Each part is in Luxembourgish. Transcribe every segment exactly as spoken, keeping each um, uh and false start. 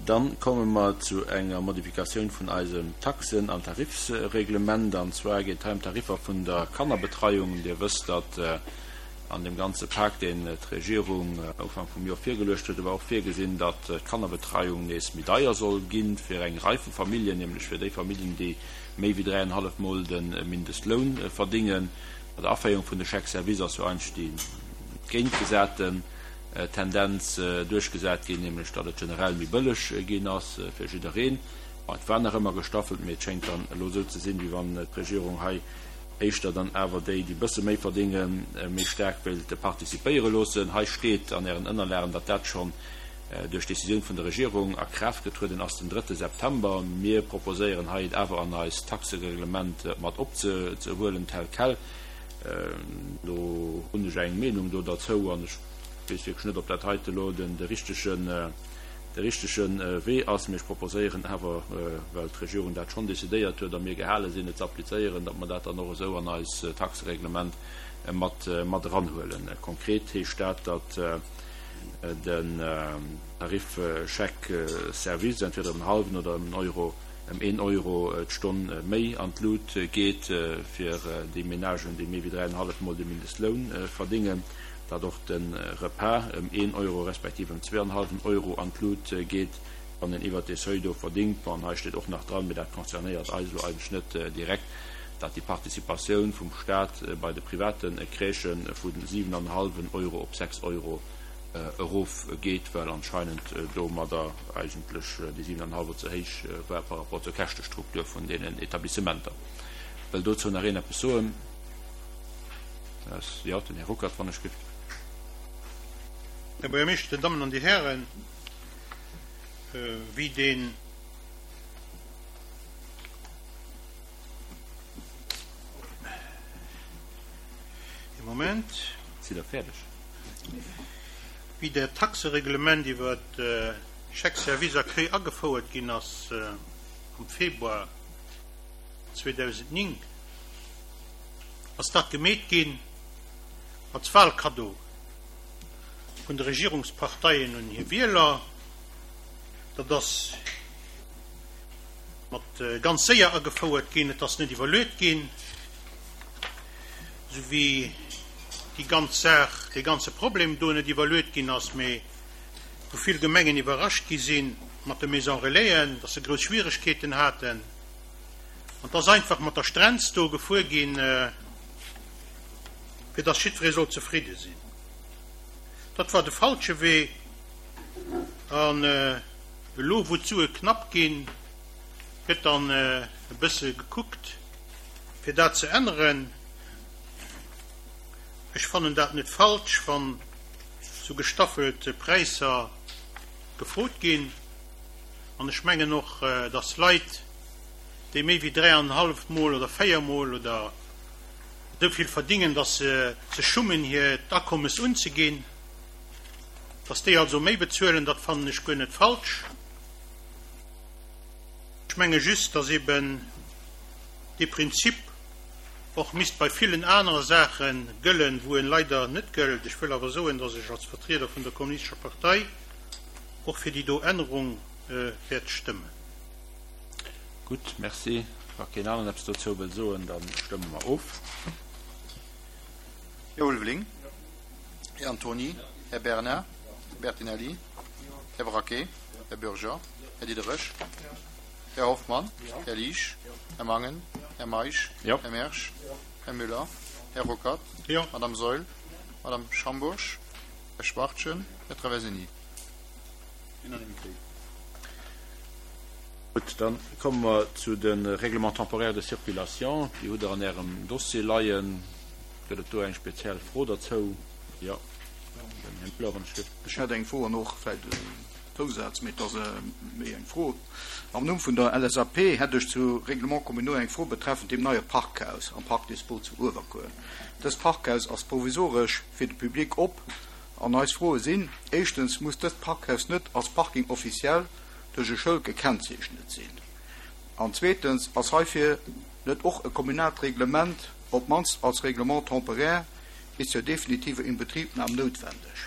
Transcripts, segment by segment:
Dann komme mer zu enger Modifikatioun vun eisem Taxen an Tarifsreglement. An zwar geet et hei ëm d'Tariffer vun der Kannerbetreiung. Dir wësst, datt an deem ganze Pak, deen d'Regierung Ufank vum Joer virgeluecht huet, war och virgesinn, datt d'Kannerbetreiung nees méi deier soll gi fir eng Rei vu Familljen, nämlech fir déi Familljen, déi méi wéi dräienhallef Mol de Mindestloun verdingen. Bei der Aféierung vun de Chèques-services ass jo eigentlech déi géintgesaten Tendenz duerchgesat ginn, nämlech datt et generell méi bëlleg ginn ass fir jiddereen. Bon, et war nach ëmmer gestaffelt, mee et schéngt dann elo esou ze sinn, wéi wann d'Regierung hei éischter dann awer déi, déi e bësse méi verdéngen, méi staark wéilt participéiere loossen. Hei steet an Ären Ënnerlagen, datt dat schonn duerch d'Décisioun vun der Regierung a Kraaft getrueden ass den drëtte September. Mir proposéieren hei, et awer an eist Taxereglement mat opzehuelen tel quel. Do hunn ech eng Meenung do derzou an ech weess wierklech net, ob dat heite elo den de richtegen, de richtege Wee ass. Mee ech proposéieren awer, well d'Regierung dat schonn decidéiert huet a mir gehale sinn, et ze applizéieren, datt mer dat dann och esou an eis Taxereglement mat, mat eranhuelen. Konkret heescht dat, datt den Tarif Chèque service entweder ëm en hallwen oder ëm en Euro, ëm een Euro d'Stonn méi an d'Lut geet fir déi Menagen, déi méi wéi dräienhallef Mol de Mindestloun verdéngen, datt och de Repas ëm een Euro respektiv ëm zweeanhallwen Euro an d'Lut geet, wann een iwwert dee Seuil do verdéngt. Bon, hei steet och nach dran, mee dat concernéiert eis elo eigentlech net direkt, datt déi Participatioun vum Stat bei de private Crèchë vu siwenanhallwen Euro op sechs Euro erof geet, well anscheinend domadder eigentlech déi siwen an hallwer ze héich war par rapport zur Käschtestruktur vun deenen Etablissementer. Wëll dozou nach een eppes soen? Jo, den Här Ruckert, wann ech giff. Här Buergermeeschter, Dir Dammen an Dir Hären, wéi deen. Ee Moment. Sidd Der fäerdeg? Wéi dat Taxereglement iwwer Chèques service accueil agefouert ginn ass am Februar zweedausendnéng, ass dat gemeet ginn als Wahlkaddo vun de Regierungsparteien un hir Wieler. Dat ass mat ganz séier agefouert ginn, et ass net iwwerluet ginn, esou wéi déi ganz Saach, dee ganze Problem do net iwwerluet ginn ass, mee wou vill Gemengen iwwerrascht gi si mat de Maison Relaisen, dass se grouss Schwieregkeeten haten. An et ass einfach mat der Strenz do gefuer ginn, fir dass jiddweree sollt zefridde sinn. Dat war de falsche Wee. An elo, wou d'Sue knapp ginn, gëtt dann e bësse gekuckt, fir dat ze änneren. Ech fannen dat net falsch, wann sou gestaffelt Präisser gefrot ginn. An ech mengen och, dass Leit, déi méi wéi dräianenhallef Mol oder véier Mol oder esou vill verdingen, dass se sech schummen, hiert Akommes unzeginn, dass déi also méi bezuelen, dat fannen ech guer net falsch. Ech menge just, dass eben dee Prinzip och misst bei villen anere Saache gëllen, wou en leider net gëllt. Ech wëll awer soen, dass ech als Vertrieder vun der Kommunistescher Partei och fir déi do Ännerung wäert stëmmen. Gutt, merci. Wa keen aneren eppes dozou wëll soen, da stëmme mer of. Här Ulveling. Här Antony. Här Bernard. Här Bertinelli. Här Braquet. Här Bürger. Här Diderich. Här Hoffmann. Här Liesch. Här Mangen. Här Meisch. Här Mersch. Här Müller. Här Ruckert. Madame Saeul. Madame Schambourg. Här Schwachtgen. Här Traversini. Unanimité. Gutt, da komme mer zu de Règlements temporaires de circulation. Déi hutt Der an Ärem Dossier leien. Gëtt et do eng speziell Fro derzou? Jo, den Här Müller, wann ech dierf. Ech hätt eng Fro an och vläicht e Zousaz, mee et ass méi eng Fro. Am Numm vun der L S A P hätt ech zu Règlements communaux eng Fro betreffend dem neie Parkhaus am Parc des Sports zu Uewerkuer. Dëst Parkhaus ass provisoresch fir de Public op an eis Froe sinn, Éischtens, muss dëst Parkhaus net als Parking officiel duerch e Schëld gekennzeechnet sinn? An zweetens, ass heifir net och e kommunaalt Reglement, op d'mannst als Règlement temporaire bis zur definitiver Inbetriebnahme noutwendeg?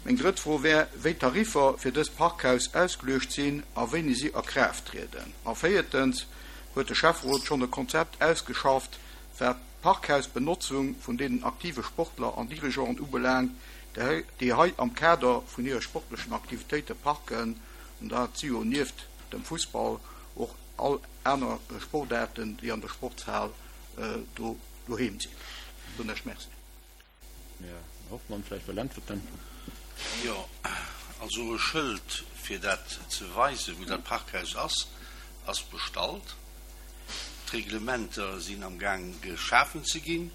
Meng drëtt Fro wär, wéi d'Tariffer fir dëst Parkhaus ausgeluecht sinn a wéini si a Kraaft trieden. A véiertens, huet de Schäfferot schonn e Konzept ausgeschafft, wat d'Parkhausbenotzung vun deenen aktive Sportler an Dirigeanten ubelaangt, déi hei am Kader vun hire sportlechen Aktivitéite parken, an dat si jo nieft dem Fussball och all aner Sportaarten, déi an der Sportshal do doheem sinn. Soen ech Merci. Här Hoffmann vläicht wëll äntwerten. Jo, also e Schëld, fir dat ze weisen, wou dat Parkhaus ass, ass bestallt. D'Reglementer sinn am Gaang geschafen ze ginn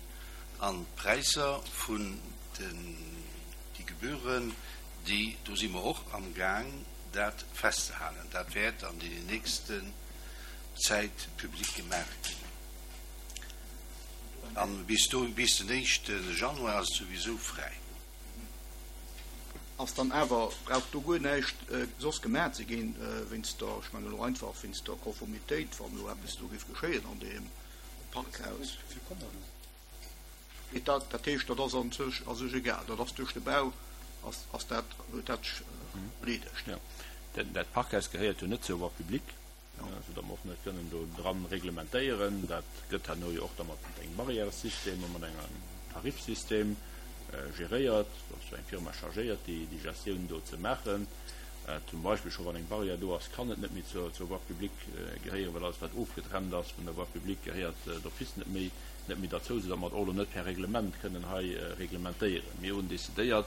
an d'Präisser vun den, déi Gebühren, déi, do si mer och am Gaang dat festzehalen. Dat wäert an deenen nächsten Zäit public gemaach ginn. An bis do, bis den éischte Januar ass et souwisou fräi. Ass dann awer, brauch do guer näischt soss gemaach ze ginn, wéinst der, ech mengen elo einfach wéinst der Konformitéit, wann elo eppes do géif geschéien an deem Parkhaus? Mee dat, dat heescht, dat ass an sech, a sech egal, dat ass duerch de Bau, ass, ass dat, huet dat sech erleedegt. Jo, dat Parkhaus gehéiert jo net zur Voie publique. Sou datt mer och net kënnen do dran reglementéieren. Dat gëtt herno jo och da mat engem Barrièressystem a mat engem Tarifsystem geréiert. Do ass jo eng Firma chargéiert, déi déi Gestioun do ze maachen. Zum Beispill scho wann eng Barrière do ass, kann et net méi zur zur Voie publique gehéieren, well alles wat ofgetrennt ass vun der Voie publique gehéiert d'office net méi net méi derzou, sou datt mer et och elo net per Reglement kënnen hei reglementéieren. Mir hunn decidéiert,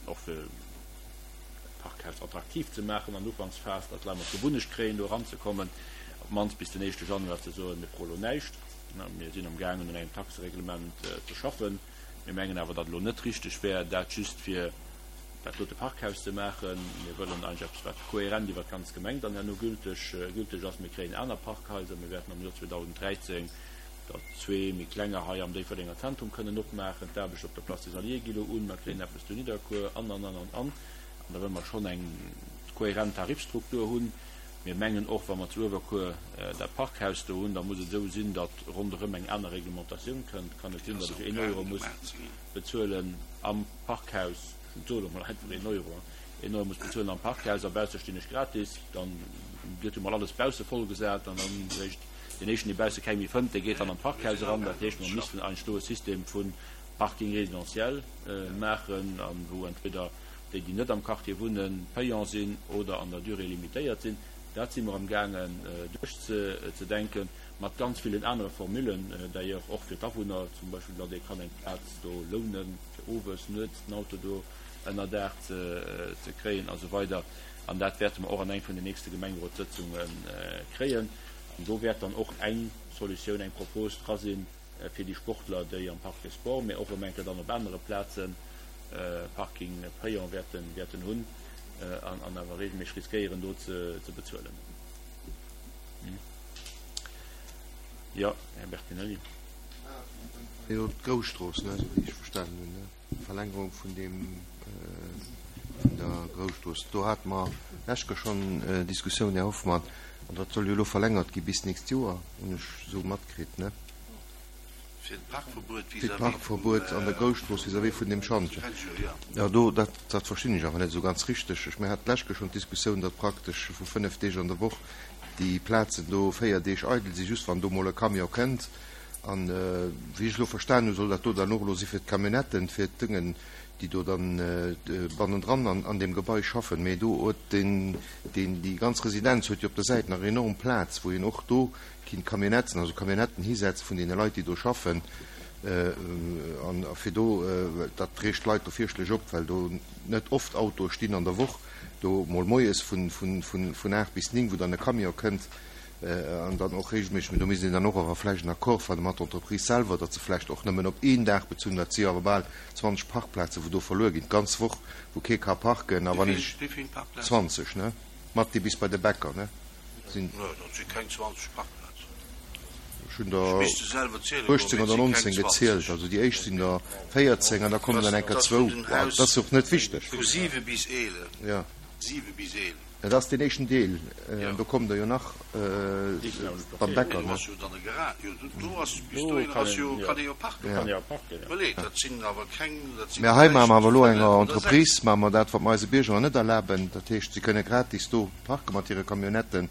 och fir dat Parkhaus attraktiv ze maachen an der Ufanksphas, datt d'Leit mol d'Gewunnecht kréien, do eranzekommen, op d'mannst bis den éischte Januar ze soen, mir froe lo näischt. Mir sinn amgaangen, un engem Taxereglement ze schaffen. Mir mengen awer, datt elo net richteg wär, dat just fir dat dote Parkhaus ze maachen. Mir wëllen eigentlech eppes, wat kohärent iwwert d'ganz Gemeng dann herno gülteg gülteg ass. Mir kréien aner Parkhaiser. Mir wäerten am Joer zweedausend dräizéng der zwee méi klenger hei am Déifferdenger Zentrum kënnen opmaachen. D'Aarbecht op der Place des Alliés gi lo un. Mer kréien eppes zu Nidderkuer an, an, an, an, an. An da wëlle mer schonn eng kohärent Tarifstruktur hunn. Mir mengen och, wa mer zu Uewerkuer dat Parkhaus do hunn, da muss et esou sinn, datt ronderëm eng aner Reglementatioun kënnt. Kann net sinn, datt ech een Euro muss bezuelen am Parkhaus, ech soe lo mol einfach een Euro, een Euro muss bezuelen am Parkhaus a bausse stinn ech gratis. Dann gëtt jo mol alles bausse vollgesat an dann réischt deen éischten, dee bausse keng méi fënnt, dee geet dann am Parkhaus eran. Dat heescht, mer missten eigentlech do e System vu Parking résidentiel maachen, an wou entweder déi, déi net am Quartier wunnen, payant sinn oder an der Durée limitéiert sinn. Dat si mer amgaangen duerchzedenken, mat ganz villen anere Formulen, d'ailleurs och fir d'Awunner, zum Beispill, datt ee kann eng Plaz do lounen, fir owes, nuets den Auto do ënnerdaach ze kréien a sou weider. An dat wäerte mer och an eng vun den nächste Gemengerotssëtzunge kréien. An do wäert dann och eng Solutioun, eng Propos dra sinn fir déi Sportler, déi am Parc des Sports, mä och erëm eng Kéier dann op anere Plazen Parking payant wäerten hunn an awer regelméisseg riskéieren do ze bezuelen. Jo, Här Bertinelli. Jo, d'Grousstrooss, ne, esou wéi ech verstanen hunn, ne, d'Verlängerung vun deem, vun der Grousstrooss. Do hate mer lescht Kéier schonn Diskussioun, Här Hoffmann, an dat soll jo elo verlängert gi bis d'nächst Joer, hunn ech esou matkritt, ne? Fir d'Parkverbuet Fir d'Parkverbuet an der Grousstrooss vis-à-vis vun deem Schantjen. Jo, do, dat, dat verstinn ech awer net esou ganz richteg. Ech, mir haten d'lescht Kéier schonn d'Diskussioun, datt praktesch vu fënnef Deeg an der Woch déi Plazen do véier Deeg eidel sinn, just wann do mol e Camion kënnt. An wéi ech elo verstanen hunn, soll dat do dann och elo si fir d'Camionnetten, fir d'Dëngen, déi do dann bannendran an, an deem Gebai schaffen. Mee do huet den, deen, déi ganz Residenz huet jo op der Säit nach enorm Plaz, wou een och do kinnt Camionnetten, also Camionnetten hisetze vun deene Leit, déi do schaffen, an fir do, dat reegt d'Leit do fierchtlech op, well do net oft Autoe stinn an der Woch, do mol moies vun, vun, vun, vun aacht bis néng, wou dann e Camion kënnt, an dann och regelméisseg, mee do misst een dann och awer vläicht en Accord fanne mat der Entreprise selwer, datt se vläicht och nëmmen op een Dag bezunn, dat si jo awer bal zwanzeg Parkplazen, wou do verluer ginn, d'ganz Woch, wou kee ka parken. A wann ech. Wéi vill Parkplazen? Zwanzeg, ne? Mat déi bis bei de Bäcker, ne? Sinn. Nö, dat si keng zwanzeg Parkplazen. Ech hunn der Ech misst se selwer ziele goen, uechtzéng mee et oder si keng nonzéng gezielt. zwanzeg. Also déi éischt sinn der véierzéng an da kommen Dat dann enker ass vun zwou. den Dat Haus ass och net wichteg. vu siwe bis eelef. Jo. Siwe bis eelef. Et ass deen éischten Deel, an do kommt der jo nach beim Bäcker, ne? Mä hei maache mer awer elo enger Entreprise, maache mer dat, wat mer eise Bierger net erlaben. Dat heescht, si kënne gratis do parke mat hire Camionnetten.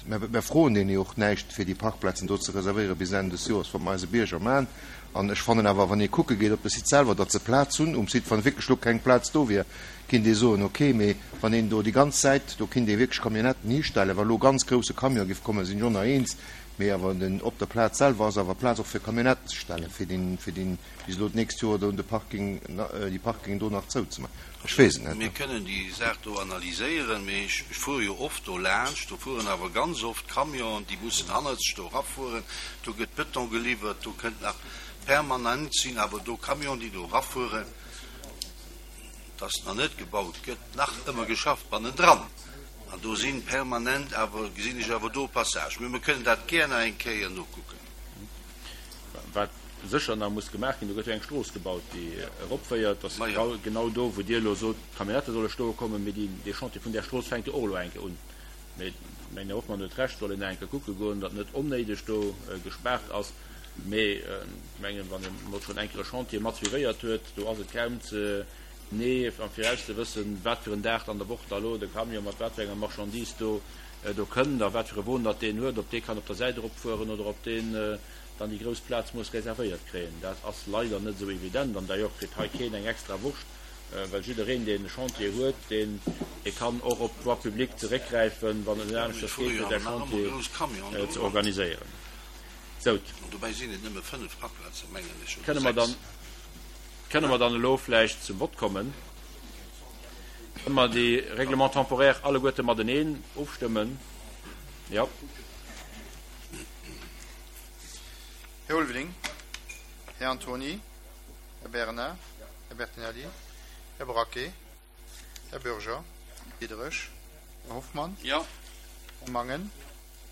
Mä mer froen deene jo och näischt, fir déi Parkplazen do ze reservéiere bis Enn des Joers, wat mer eise Bierger maachen. An ech fannen awer, wann ee kucke geet op de Site selwer, datt se Plaz hunn um Site, wann wierklech elo keng Plaz do wier, kinnt ee soen, okay, mee wann een do déi ganz Säit, do kinnt ee wierklech Camionnetten histellen, wa lo ganz grousse Camion giff kommen, sinn ech och nach eens, mee awer den, op der Plaz selwer ass awer Plaz och fir Camionnetten ze stellen, fir deen, fir deen bis elo d'nächst Joer do de Parking, déi Parkingen do nach zouzemaachen. Ech weess et net. Mir kënnen déi Saach do analyséieren, mee ech fuere jo oft do laanscht, do fueren awer ganz oft Camionen, déi mussen hannerzeg do erafueren, do gëtt Beton geliwwert, do kënnt nach permanent sinn awer do Camionen, déi do erafueren, dass nach net gebaut gëtt, nach ëmmer geschafft bannendran. An do sinn permanent awer, gesinn ech awer do Passage. Mee mir kënnen dat gär nach eng Kéier nokucken. Wat sécher nach muss gemaach ginn, do gëtt jo eng Strooss gebaut, déi eropféiert. Dat ass genau do, wou Dir elo sot, d'Camionnette solle stoe kommen. Mee dee Chantier vun där Strooss fänkt jo och elo eng Kéier un. Mee ech mengen, Här Hoffmann huet Recht, soll een nach eng Kéier kucke goen, datt net onnéideg do gespaart ass. Mee ech mengen, wann ee mol schonn eng Kéier e Chantier mat suivéiert huet, do ass et kaum ze genee am Viraus ze wëssen, wat fir en Dag an der Woch da lo de Camion mat wat fir enger Marchandise do do kënnt a wat fir e Won datt deen huet, ob dee kann op der Säit eropfueren oder ob deen dann déi grouss Plaz muss reservéiert kréien. Dat ass leider net esou evident an d'ailleurs kritt hei keen eng extra Wurscht, well jiddereen, deen e Chantier huet, deen dee kann och op d'Voie publique zeréckgräifen, wann et net aneschters geet, fir säi Chantier ze organiséieren. Sou. Kënne mer dann. Kënne mer dann elo vläicht zum Vott kommen? Kënne mer déi Règlements temporaires alleguerte mateneen ofstëmmen? Jo. Här Ulveling, Här Antony, Här Bernard, Här Bertinelli, Här Braquet, Här Bürger, Diderich, Här Hoffmann, Jo. Här Mangen,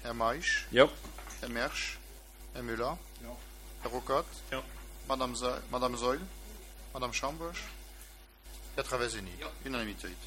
Här Meisch, Jo. Här Mersch, Här Müller, Jo. Här Ruckert, Jo. Madame Madame Saeul, Madame Schambourg, Här Traversini. Jo. Unanimitéit.